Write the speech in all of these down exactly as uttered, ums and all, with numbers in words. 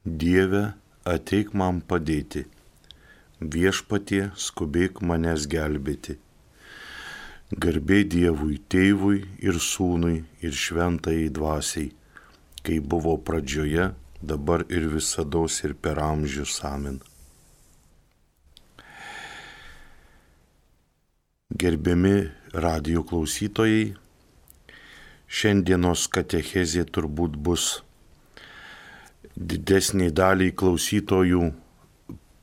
Dieve, ateik man padėti, viešpatie, skubėk manęs gelbėti. Garbė Dievui, Tėvui ir Sūnui ir Šventajai Dvasiai, kai buvo pradžioje, dabar ir visados ir per amžius. Amen. Gerbiami radijo klausytojai, šiandienos katechezė turbūt bus didesniai daliai klausytojų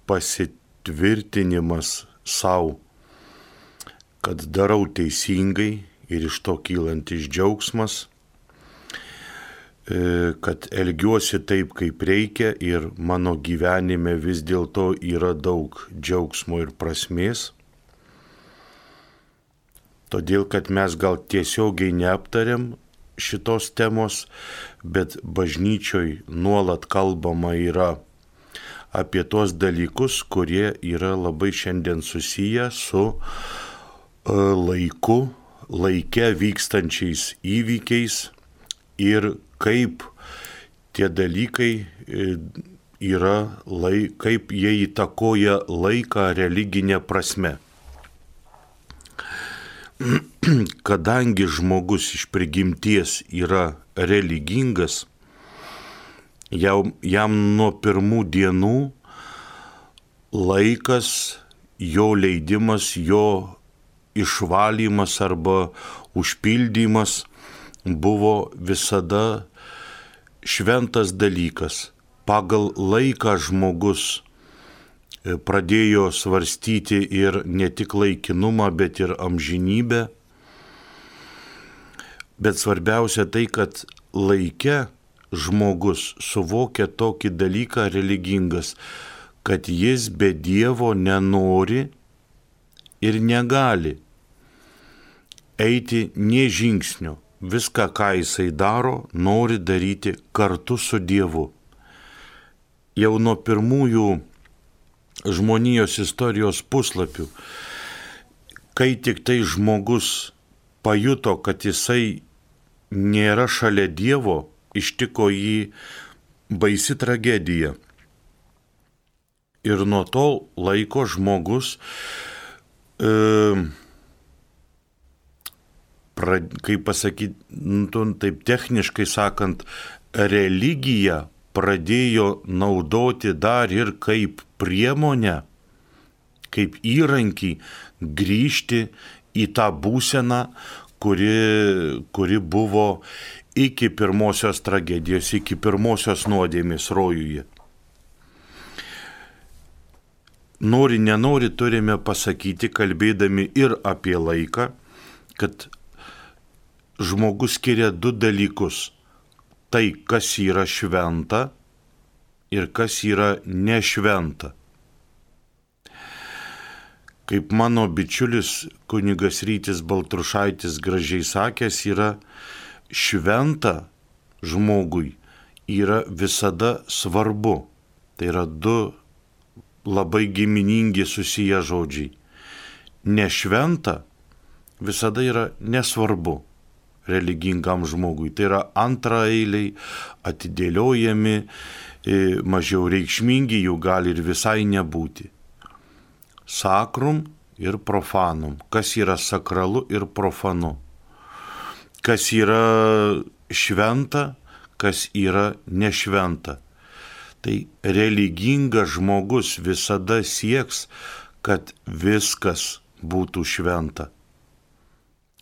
pasitvirtinimas savo, kad darau teisingai ir iš to kylantis džiaugsmas, kad elgiuosi taip, kaip reikia ir mano gyvenime vis dėlto yra daug džiaugsmo ir prasmės. Todėl, kad mes gal tiesiogiai neaptariam šitos temos, bet bažnyčioj nuolat kalbama yra apie tos dalykus, kurie yra labai šiandien susiję su laiku, laike vykstančiais įvykiais ir kaip tie dalykai yra, kaip jie įtakoja laiką religinė prasme. Kadangi žmogus iš prigimties yra religingas, jam, jam nuo pirmų dienų laikas, jo leidimas, jo išvalymas arba užpildymas buvo visada šventas dalykas. Pagal laiką žmogus pradėjo svarstyti ir ne tik laikinumą, bet ir amžinybę. Bet svarbiausia tai, kad laike žmogus suvokia tokį dalyką religingas, kad jis be Dievo nenori ir negali eiti nė žingsnio. Viską, ką jisai daro, nori daryti kartu su Dievu. Jau nuo pirmųjų žmonijos istorijos puslapių, kai tik tai žmogus pajuto, kad jisai nėra šalia Dievo, ištiko jį baisi tragedija. Ir nuo to laiko žmogus, e, pra, kaip pasakyti, nu, taip techniškai sakant, religiją pradėjo naudoti dar ir kaip priemonę, kaip įrankį grįžti į tą būseną, kuri, kuri buvo iki pirmosios tragedijos, iki pirmosios nuodėmės rojuje. Nori, nenori turime pasakyti, kalbėdami ir apie laiką, kad žmogus skiria du dalykus. Tai, kas yra šventa ir kas yra nešventa. Kaip mano bičiulis kunigas Rytis Baltrušaitis gražiai sakęs, yra šventa žmogui, yra visada svarbu. Tai yra du labai giminingi susiję žodžiai. Nešventa visada yra nesvarbu religingam žmogui. Tai yra antraeiliai, atidėliojami, mažiau reikšmingi, jų gali ir visai nebūti. Sakrum ir profanum. Kas yra sakralu ir profanu. Kas yra šventa, kas yra nešventa. Tai religingas žmogus visada sieks, kad viskas būtų šventa.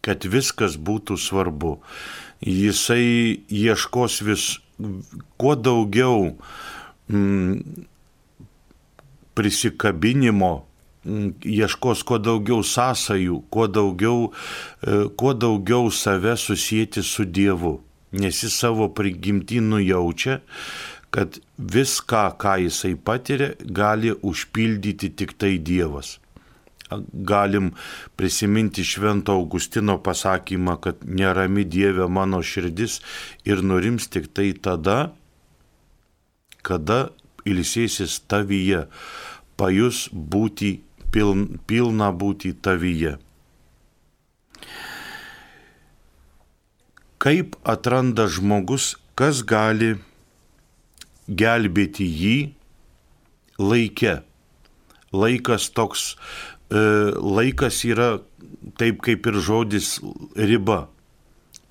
Kad viskas būtų svarbu. Jisai ieškos vis kuo daugiau mm, prisikabinimo, mm, ieškos kuo daugiau sąsajų, kuo daugiau, e, kuo daugiau save susijęti su Dievu. Nes jis savo prigimtį nujaučia, kad viską, ką jisai patiria, gali užpildyti tik tai Dievas. Galim prisiminti Švento Augustino pasakymą, kad nerami Dieve mano širdis ir nurims tik tai tada, kada ilsėsis tavyje, pajus būti, piln, pilna būti tavyje. Kaip atranda žmogus, kas gali gelbėti jį laike. Laikas toks, e, laikas yra taip kaip ir žodis riba.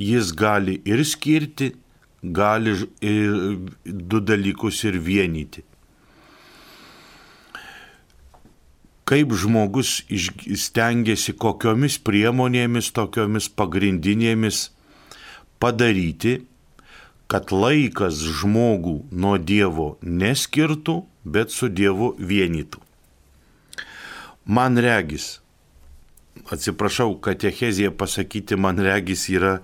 Jis gali ir skirti, gali ir du dalykus ir vienyti. Kaip žmogus stengiasi kokiomis priemonėmis, tokiomis pagrindinėmis padaryti, kad laikas žmogų nuo Dievo neskirtų, bet su Dievu vienytų. Man regis, atsiprašau, katechezija pasakyti man regis yra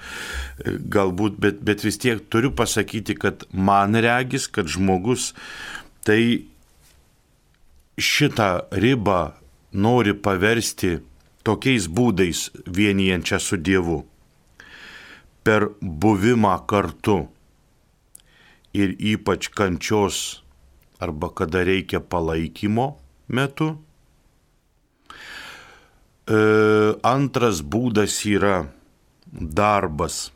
galbūt, bet, bet vis tiek turiu pasakyti, kad man regis, kad žmogus tai šitą ribą nori paversti tokiais būdais vienijančią su Dievu. Per buvimą kartu ir ypač kančios arba kada reikia palaikymo metu. E, antras būdas yra darbas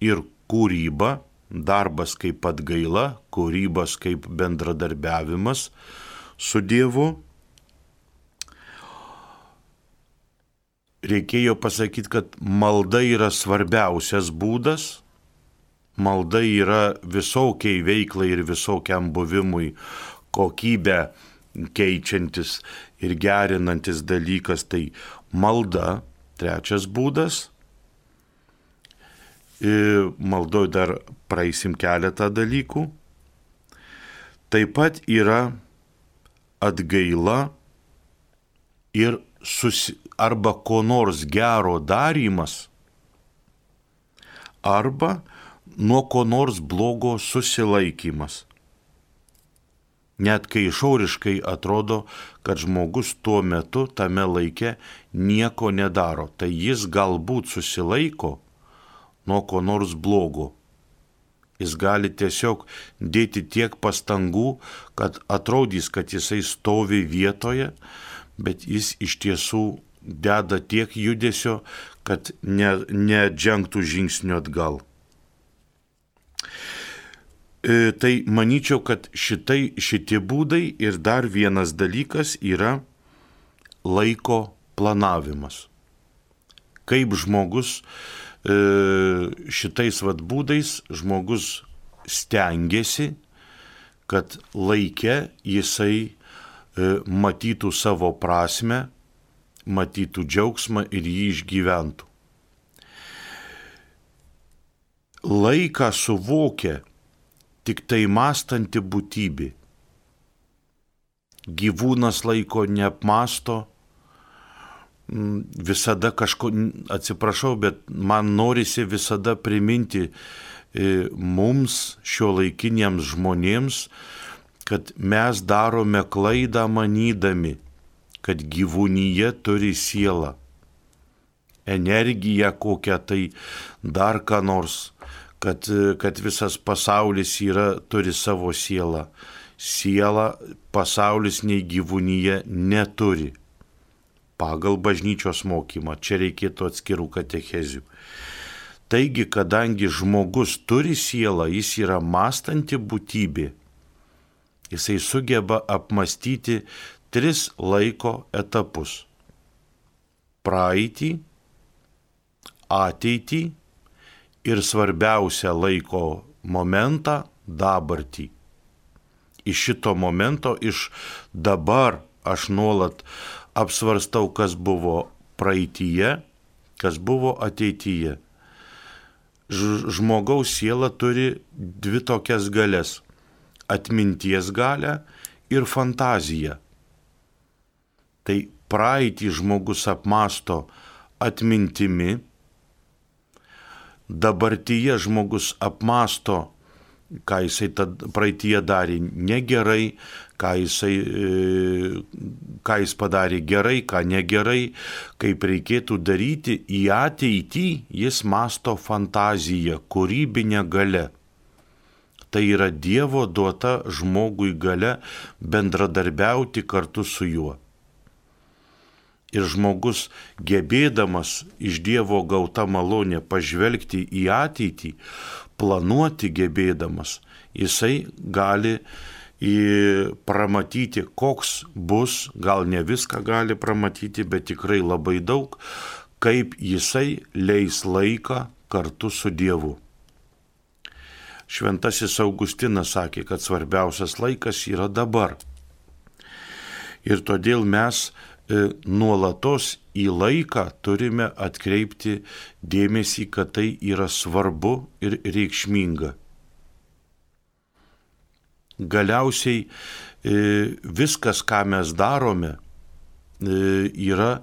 ir kūryba. Darbas kaip atgaila, kūrybas kaip bendradarbiavimas su Dievu. Reikėjo pasakyti, kad malda yra svarbiausias būdas. Malda yra visokiai veiklai ir visokiam buvimui kokybę keičiantis ir gerinantis dalykas. Tai malda, trečias būdas. Maldoj dar praeisim keletą dalykų. Taip pat yra atgaila ir susi, arba ko nors gero darymas, arba nuo ko nors blogo susilaikymas. Net kai išoriškai atrodo, kad žmogus tuo metu tame laike nieko nedaro, tai jis galbūt susilaiko nuo ko nors blogo. Jis gali tiesiog dėti tiek pastangų, kad atrodys, kad jisai stovi vietoje, bet jis iš tiesų deda tiek judesio, kad ne, nedžengtų žingsniu atgal. E, tai manyčiau, kad šitai, šitie būdai ir dar vienas dalykas yra laiko planavimas. Kaip žmogus šitais vat būdais žmogus stengiasi, kad laike jisai matytų savo prasmę, matytų džiaugsmą ir jį išgyventų. Laiką suvokia tik tai mąstanti būtybė. Gyvūnas laiko neapmąsto, visada kažko, atsiprašau, bet man norisi visada priminti mums, šiuolaikiniams žmonėms, kad mes darome klaidą manydami, kad gyvūnyje turi sielą, energiją kokią tai dar ką nors, kad, kad visas pasaulis yra, turi savo sielą. Sielą pasaulis nei gyvūnyje neturi. Pagal bažnyčios mokymą. Čia reikėtų atskirų katechezių. Taigi, kadangi žmogus turi sielą, jis yra mąstanti būtybė, jisai sugeba apmastyti tris laiko etapus. Praeitį, ateitį ir svarbiausią laiko momentą dabartį. Iš šito momento, iš dabar aš nuolat apsvarstau, kas buvo praeityje, kas buvo ateityje. Žmogaus siela turi dvi tokias galias – atminties galią ir fantaziją. Tai praeitį žmogus apmąsto atmintimi, dabartyje žmogus apmąsto, ką jisai praeityje darė negerai, ką jisai, ką jis padarė gerai, ką negerai, kaip reikėtų daryti. Į ateitį jis mąsto fantaziją, kūrybinę galią. Tai yra Dievo duota žmogui galia bendradarbiauti kartu su juo. Ir žmogus, gebėdamas iš Dievo gauta malonė pažvelgti į ateitį, planuoti gebėdamas, jisai gali į pramatyti, koks bus, gal ne viską gali pramatyti, bet tikrai labai daug, kaip jisai leis laiką kartu su Dievu. Šventasis Augustinas sakė, kad svarbiausias laikas yra dabar. Ir todėl mes e, nuolatos į laiką turime atkreipti dėmesį, kad tai yra svarbu ir reikšminga. Galiausiai e, viskas, ką mes darome, e, yra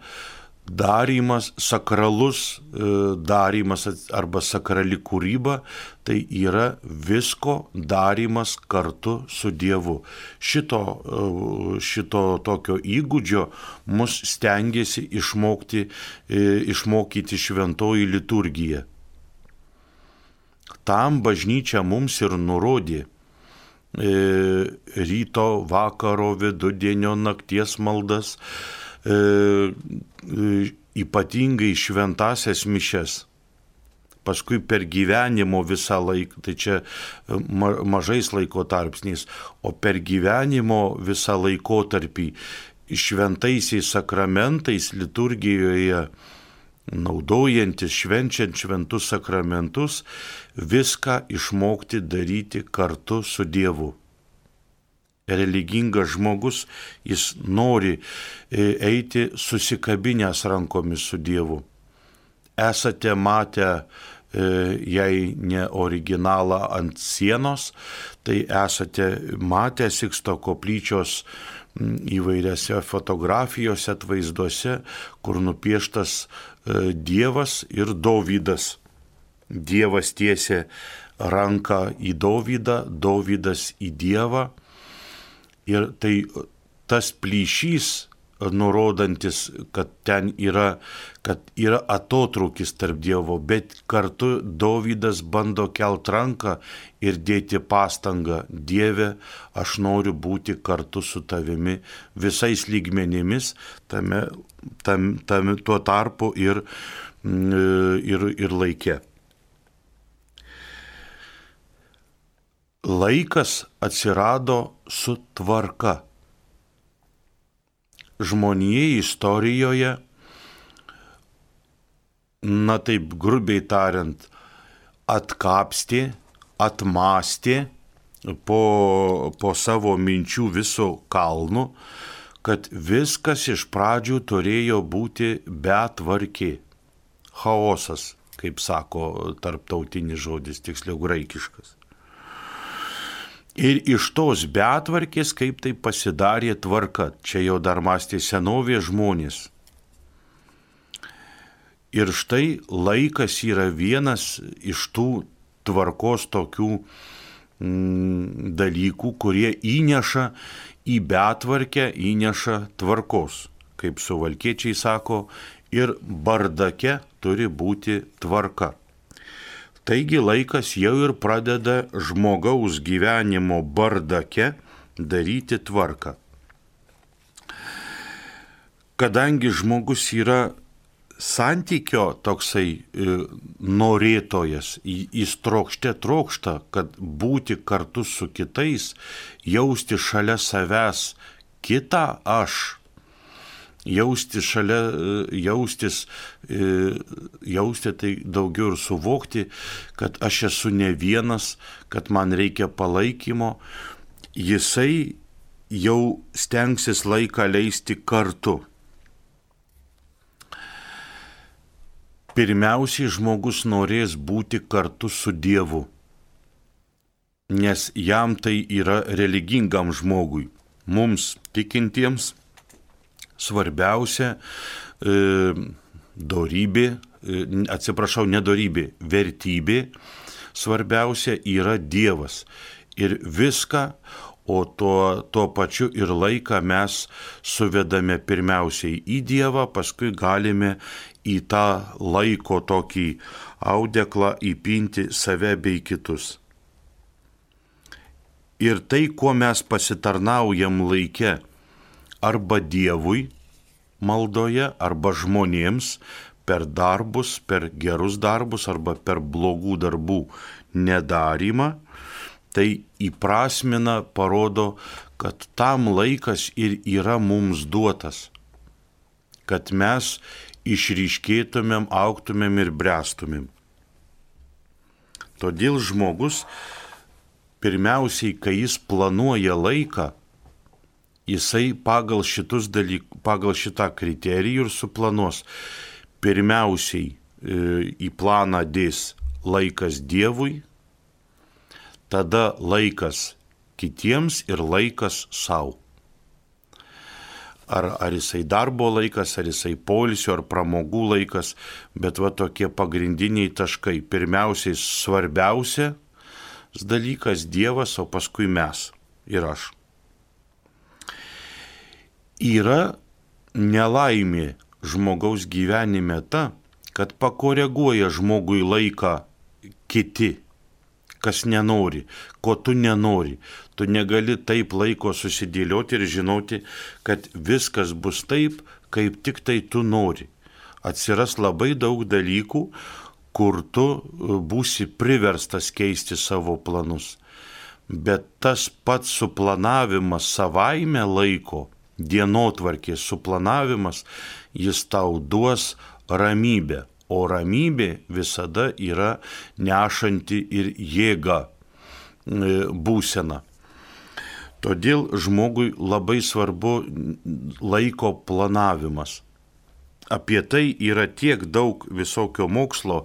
darymas, sakralus e, darymas arba sakrali kūryba, tai yra visko darymas kartu su Dievu. Šito, e, šito tokio įgūdžio mus stengiasi išmokti, e, išmokyti šventoji liturgija. Tam bažnyčia mums ir nurodė ryto, vakaro, vidudienio, nakties maldas, e, ypatingai šventasias mišias. Paskui per gyvenimo visą laiką, tai čia ma, mažais laiko tarpsniais, o per gyvenimo visą laikotarpį šventaisiais sakramentais liturgijoje naudojantis, švenčiant šventus sakramentus, viską išmokti daryti kartu su Dievu. Religingas žmogus, jis nori eiti susikabinęs rankomis su Dievu. Esate matę, jei ne originalą ant sienos, tai esate matę Siksto koplyčios įvairiose fotografijose, atvaizduose, kur nupieštas Dievas ir Dovydas. Dievas tiesia ranką į Dovydą, Dovydas į Dievą. Ir tai tas plyšys, nurodantis, kad ten yra, kad yra atotrūkis tarp Dievo, bet kartu Dovydas bando kelt ranką ir dėti pastangą. Dieve, aš noriu būti kartu su tavimi visais lygmenimis, tame, tam, tam, tuo tarpu ir, ir, ir laike. Laikas atsirado su tvarka. Žmonijai istorijoje, na taip grubiai tariant, atkapstė, atmastė po, po savo minčių viso kalnu, kad viskas iš pradžių turėjo būti betvarkė. Chaosas, kaip sako tarptautinis žodis, tiksliau graikiškas. Ir iš tos betvarkės, kaip tai pasidarė tvarka, čia jau dar mąstė senovės žmonės. Ir štai laikas yra vienas iš tų tvarkos tokių mm, dalykų, kurie įneša į betvarkę, įneša tvarkos. Kaip suvalkiečiai sako, ir bardake turi būti tvarka. Taigi laikas jau ir pradeda žmogaus gyvenimo bardake daryti tvarką. Kadangi žmogus yra santykio toksai e, norėtojas, jis trokšte trokšta, kad būti kartu su kitais, jausti šalia savęs kitą aš, jausti šalia, jaustis, jausti tai daugiau ir suvokti, kad aš esu ne vienas, kad man reikia palaikymo, jisai jau stengsis laiką leisti kartu. Pirmiausiai žmogus norės būti kartu su Dievu, nes jam tai yra religingam žmogui, mums tikintiems. Svarbiausia e, dorybė, e, atsiprašau, nedorybė, vertybė, svarbiausia yra Dievas. Ir viską, o tuo, tuo pačiu ir laiką mes suvedame pirmiausiai į Dievą, paskui galime į tą laiko tokį audeklą įpinti save bei kitus. Ir tai, kuo mes pasitarnaujam laike, arba Dievui maldoje, arba žmonėms per darbus, per gerus darbus, arba per blogų darbų nedarymą, tai įprasmina, parodo, kad tam laikas ir yra mums duotas, kad mes išryškėtumėm, augtumėm ir bręstumėm. Todėl žmogus, pirmiausiai, kai jis planuoja laiką, jisai pagal šitus dalykus, pagal šitą kriterijų ir suplanuos. Pirmiausiai į planą dės laikas Dievui, tada laikas kitiems ir laikas savo. Ar, ar jisai darbo laikas, ar jisai poilsio, ar pramogų laikas, bet va tokie pagrindiniai taškai. Pirmiausiai svarbiausia dalykas Dievas, o paskui mes ir aš. Yra nelaimė žmogaus gyvenime ta, kad pakoreguoja žmogui laiką kiti, kas nenori, ko tu nenori. Tu negali taip laiko susidėlioti ir žinoti, kad viskas bus taip, kaip tik tai tu nori. Atsiras labai daug dalykų, kur tu būsi priverstas keisti savo planus. Bet tas pats suplanavimas savaime laiko, dienotvarkės suplanavimas, jis tau duos ramybę. O ramybė visada yra nešanti ir jėga būsena. Todėl žmogui labai svarbu laiko planavimas. Apie tai yra tiek daug visokio mokslo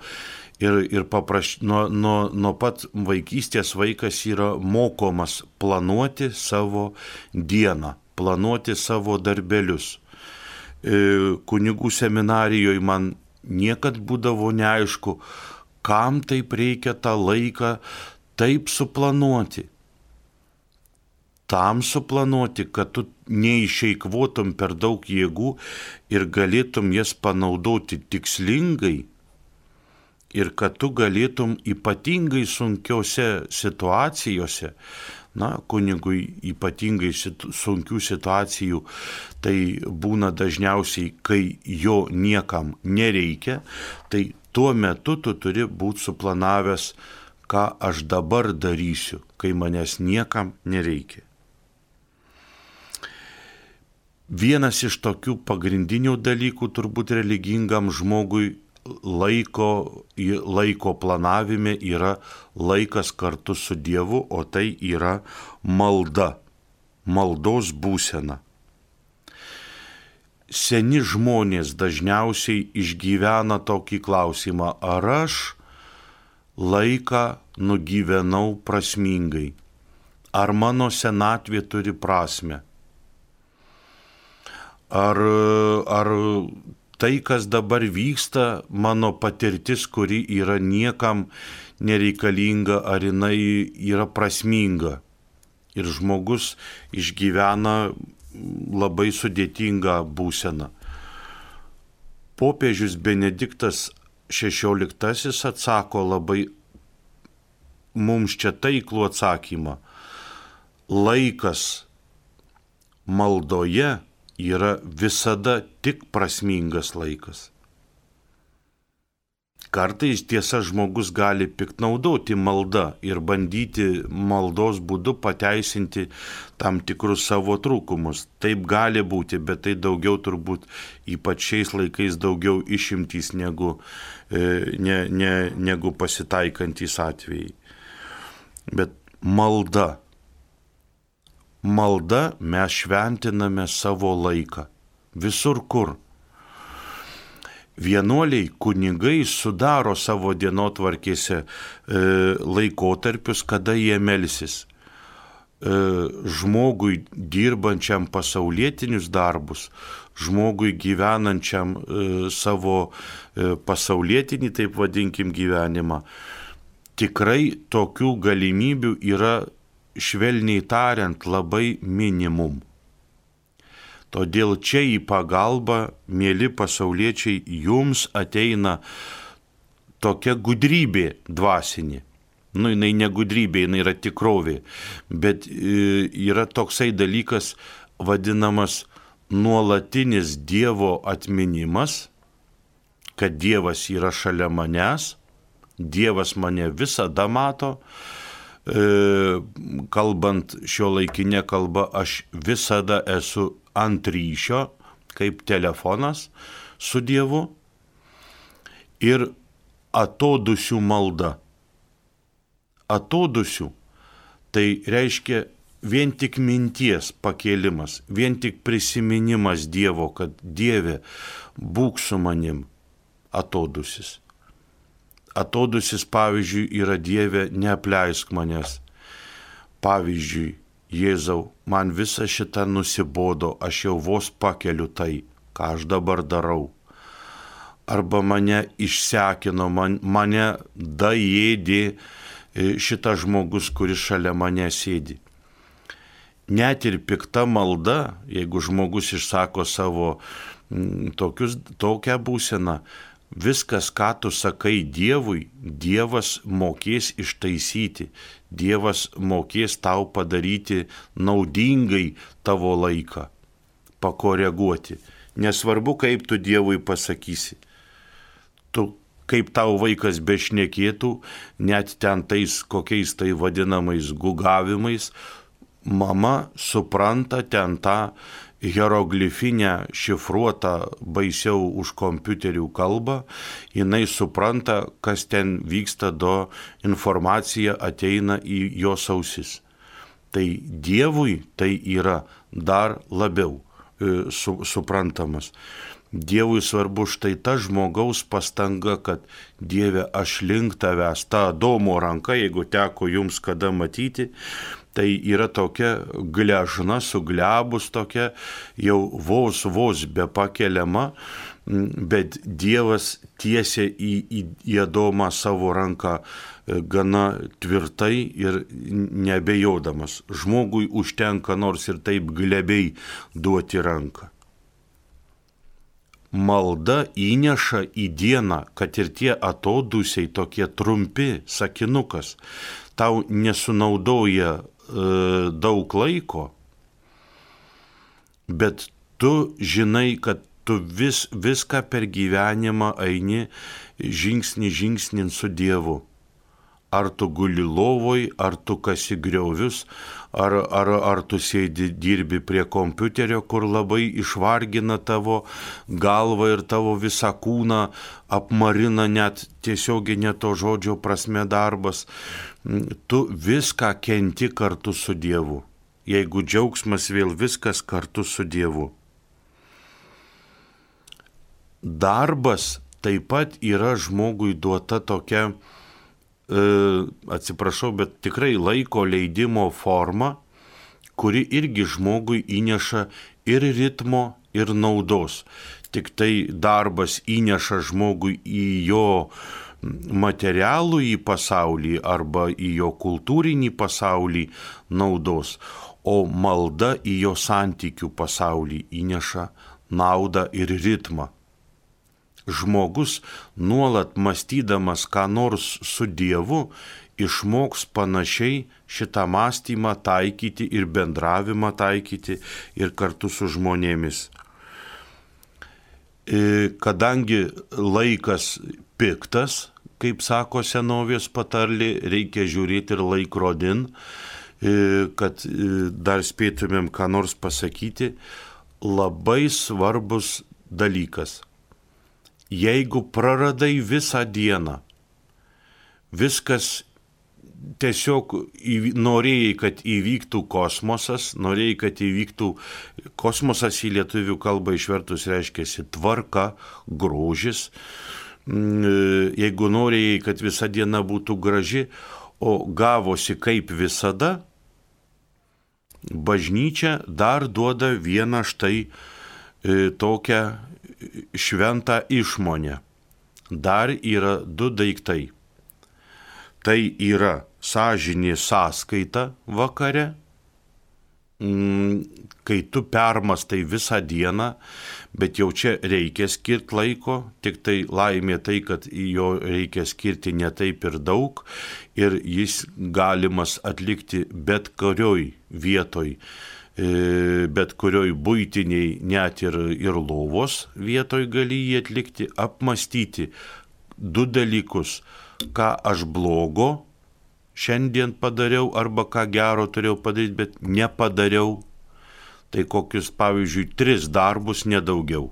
ir, ir papraš, nuo, nuo, nuo pat vaikystės vaikas yra mokomas planuoti savo dieną, planuoti savo darbelius. Kunigų seminarijoje man niekad būdavo neaišku, kam taip reikia tą laiką taip suplanuoti. Tam suplanuoti, kad tu neišeikvotum per daug jėgų ir galėtum jas panaudoti tikslingai ir kad tu galėtum ypatingai sunkiose situacijose, na, kunigui ypatingai sunkių situacijų, tai būna dažniausiai, kai jo niekam nereikia, tai tuo metu tu turi būti suplanavęs, ką aš dabar darysiu, kai manęs niekam nereikia. Vienas iš tokių pagrindinių dalykų turbūt religingam žmogui laiko, laiko planavime yra laikas kartu su Dievu, o tai yra malda, maldos būsena. Seni žmonės dažniausiai išgyvena tokį klausimą, ar aš laiką nugyvenau prasmingai, ar mano senatvė turi prasmę, ar, ar tai, kas dabar vyksta, mano patirtis, kuri yra niekam nereikalinga, ar jinai yra prasminga. Ir žmogus išgyvena labai sudėtingą būseną. Popiežius Benediktas šešioliktasis atsako labai mums čia taiklų atsakymą. Laikas maldoje yra visada tik prasmingas laikas. Kartais tiesa žmogus gali piktnaudoti maldą ir bandyti maldos būdu pateisinti tam tikrus savo trūkumus. Taip gali būti, bet tai daugiau turbūt ypač šiais laikais daugiau išimtys negu, ne, ne, negu pasitaikantys atvejai. Bet malda. Malda mes šventiname savo laiką. Visur kur. Vienuoliai kunigai sudaro savo dienotvarkėse e, laikotarpius, kada jie melsis. E, žmogui dirbančiam pasaulietinius darbus, žmogui gyvenančiam e, savo e, pasaulietinį, taip vadinkim, gyvenimą, tikrai tokių galimybių yra, švelniai tariant, labai minimum. Todėl čia į pagalbą, mėly pasauliečiai, jums ateina tokia gudrybė dvasinė. Nu, jinai ne gudrybė, jinai yra tikrovė, bet yra toksai dalykas vadinamas nuolatinis Dievo atminimas, kad Dievas yra šalia manęs, Dievas mane visada mato, kalbant šio laikinė kalba, aš visada esu ant ryšio, kaip telefonas su Dievu, ir atodusių malda. Atodusių tai reiškia vien tik minties pakėlimas, vien tik prisiminimas Dievo, kad Dieve, būk su manim, atodusis. Atodusis, pavyzdžiui, yra Dieve, neapleisk manęs. Pavyzdžiui, Jėzau, man visa šita nusibodo, aš jau vos pakeliu tai, ką aš dabar darau. Arba mane išsekino, man, mane daėdė šitas žmogus, kuris šalia mane sėdi. Net ir pikta malda, jeigu žmogus išsako savo m, tokius, tokią būseną, viskas, ką tu sakai Dievui, Dievas mokės ištaisyti, Dievas mokės tau padaryti naudingai tavo laiką, pakoreguoti. Nesvarbu, kaip tu Dievui pasakysi. Tu, kaip tau vaikas bešnekėtų, net ten tais kokiais tai vadinamais gugavimais, mama supranta ten tą hieroglifinę šifruotą baisiau už kompiuterių kalbą, jinai supranta, kas ten vyksta, do informacija ateina į jos ausis. Tai Dievui tai yra dar labiau e, su, suprantamas. Dievui svarbu štai ta žmogaus pastanga, kad Dieve, aš link tavęs, ta Adomo ranka, jeigu teko jums kada matyti, tai yra tokia gležna, suglebus tokia, jau vos vos be pakeliama, bet Dievas tiesia į, į, į Adomą savo ranką gana tvirtai ir neabejodamas. Žmogui užtenka nors ir taip glebiai duoti ranką. Malda įneša į dieną, kad ir tie atodusiai tokie trumpi sakinukas tau nesunaudoja e, daug laiko, bet tu žinai, kad tu vis, viską per gyvenimą eini žingsnį žingsnin su Dievu. Ar tu guli lovoj, ar tu kasi griovius, ar, ar, ar tu sėdi dirbi prie kompiuterio, kur labai išvargina tavo galvą ir tavo visą kūną, apmarina net tiesioginė to žodžio prasme darbas. Tu viską kenti kartu su Dievu. Jeigu džiaugsmas, vėl viskas kartu su Dievu. Darbas taip pat yra žmogui duota tokia, atsiprašau, bet tikrai laiko leidimo forma, kuri irgi žmogui įneša ir ritmo, ir naudos. Tik tai darbas įneša žmogui į jo materialų į pasaulį arba į jo kultūrinį pasaulį naudos, o malda į jo santykių pasaulį įneša naudą ir ritmą. Žmogus nuolat mąstydamas ką nors su Dievu išmoks panašiai šitą mąstymą taikyti ir bendravimą taikyti ir kartu su žmonėmis. Kadangi laikas piktas, kaip sako senovės patarlė, reikia žiūrėti ir laikrodin, kad dar spėtumėm ką nors pasakyti, labai svarbus dalykas. Jeigu praradai visą dieną, viskas tiesiog norėjai, kad įvyktų kosmosas, norėjai, kad įvyktų kosmosas į lietuvių kalbą išvertus reiškiasi tvarka, grožis, jeigu norėjai, kad visa diena būtų graži, o gavosi kaip visada, bažnyčia dar duoda vieną štai tokią šventą išmonę. Dar yra du daiktai. Tai yra sąžinė sąskaita vakare, kai tu permastai visą dieną, bet jau čia reikia skirti laiko, tik tai laimė tai, kad jo reikia skirti ne taip ir daug ir jis galimas atlikti bet kurioj vietoj, bet kurioj buitiniai, net ir, ir lovos vietoj gali jį atlikti, apmastyti du dalykus, ką aš blogo šiandien padariau arba ką gero turėjau padaryti, bet nepadariau. Tai kokius, pavyzdžiui, tris darbus, nedaugiau.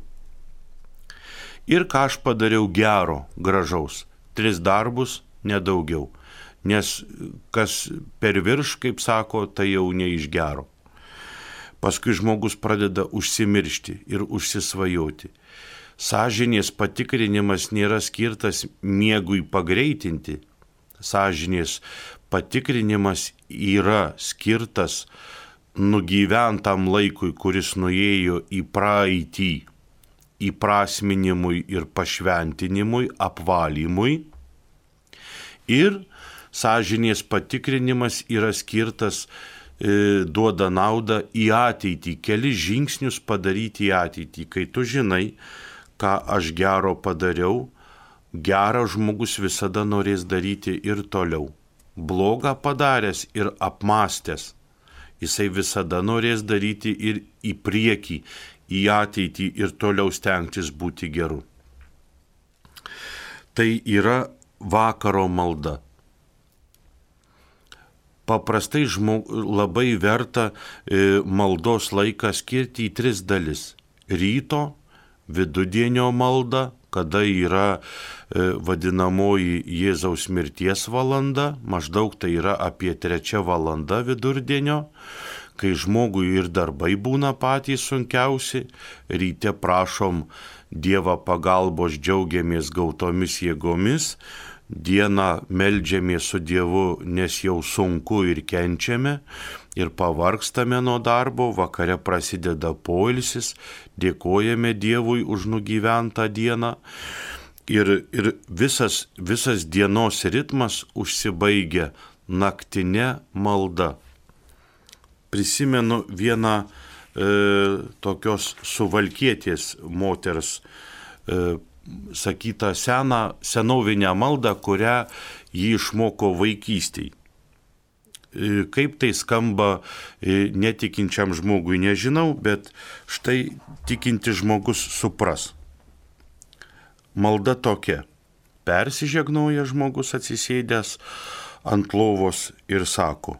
Ir ką aš padariau gero, gražaus. Tris darbus, nedaugiau. Nes kas per virš, kaip sako, tai jau ne iš gero. Paskui žmogus pradeda užsimiršti ir užsisvajoti. Sąžinės patikrinimas nėra skirtas miegui pagreitinti. Sąžinės patikrinimas yra skirtas nugyventam laikui, kuris nuėjo į praeitį, įprasminimui ir pašventinimui, apvalymui. Ir sąžinės patikrinimas yra skirtas, e, duoda naudą į ateitį, kelis žingsnius padaryti į ateitį. Kai tu žinai, ką aš gero padariau, geras žmogus visada norės daryti ir toliau. Blogą padaręs ir apmastęs, jisai visada norės daryti ir į priekį, į ateitį ir toliau stengtis būti geru. Tai yra vakaro malda. Paprastai žmog, labai verta e, maldos laiką skirti į tris dalis. Ryto, vidudienio malda, kada yra e, vadinamoji Jėzaus mirties valanda, maždaug tai yra apie trečia valanda vidurdienio, kai žmogui ir darbai būna patys sunkiausi, ryte prašom Dievą pagalbos, džiaugiamės gautomis jėgomis, dieną meldžiamės su Dievu, nes jau sunku ir kenčiame ir pavargstame nuo darbo, vakare prasideda poilsis, dėkojame Dievui už nugyventą dieną ir, ir visas, visas dienos ritmas užsibaigia naktinė malda. Prisimenu vieną e, tokios suvalkietės moters e, sakytą seną, senovinę maldą, kurią jį išmoko vaikystėj. E, kaip tai skamba e, netikinčiam žmogui, nežinau, bet štai tikintis žmogus supras. Malda tokia. Persižegnoja žmogus atsisėdęs ant lovos ir sako: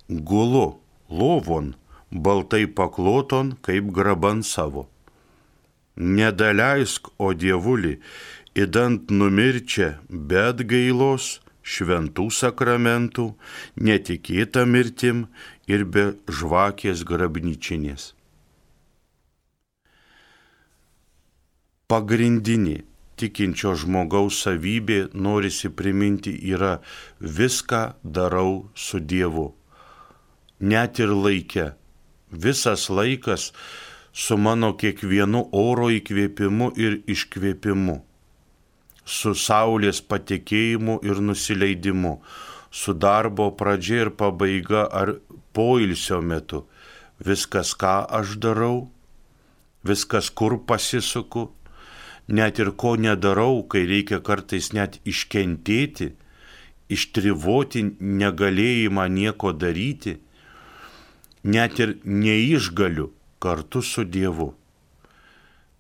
gulu lovon, baltai pakloton, kaip graban savo. Nedaleisk, o Dievuli, įdant numirčia, bet gailos, šventų sakramentų, netikėta mirtim ir be žvakės grabnyčinės. Pagrindinė tikinčio žmogaus savybė, norisi priminti, yra viską darau su Dievu. Net ir laike. Visas laikas su mano kiekvienu oro įkvėpimu ir iškvėpimu, su saulės patekėjimu ir nusileidimu, su darbo pradžia ir pabaiga ar poilsio metu. Viskas, ką aš darau, viskas, kur pasisuku, net ir ko nedarau, kai reikia kartais net iškentėti, ištrivoti negalėjimą nieko daryti, net ir neišgaliu kartu su Dievu.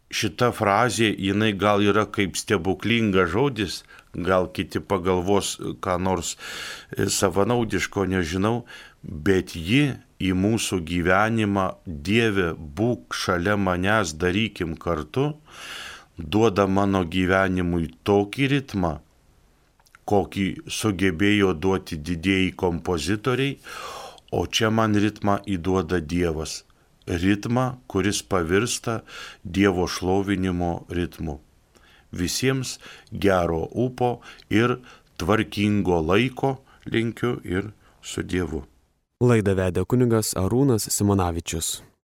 Šita frazė, jinai gal yra kaip stebuklingas žodis, gal kiti pagalvos ką nors savanaudiško, nežinau, bet ji į mūsų gyvenimą, Dieve, būk šalia manęs, darykim kartu, duoda mano gyvenimui tokį ritmą, kokį sugebėjo duoti didieji kompozitoriai, o čia man ritmą įduoda Dievas. Ritmą, kuris pavirsta Dievo šlovinimo ritmu. Visiems gero ūpo ir tvarkingo laiko linkiu ir su Dievu. Laidą vedė kunigas Arūnas Simonavičius.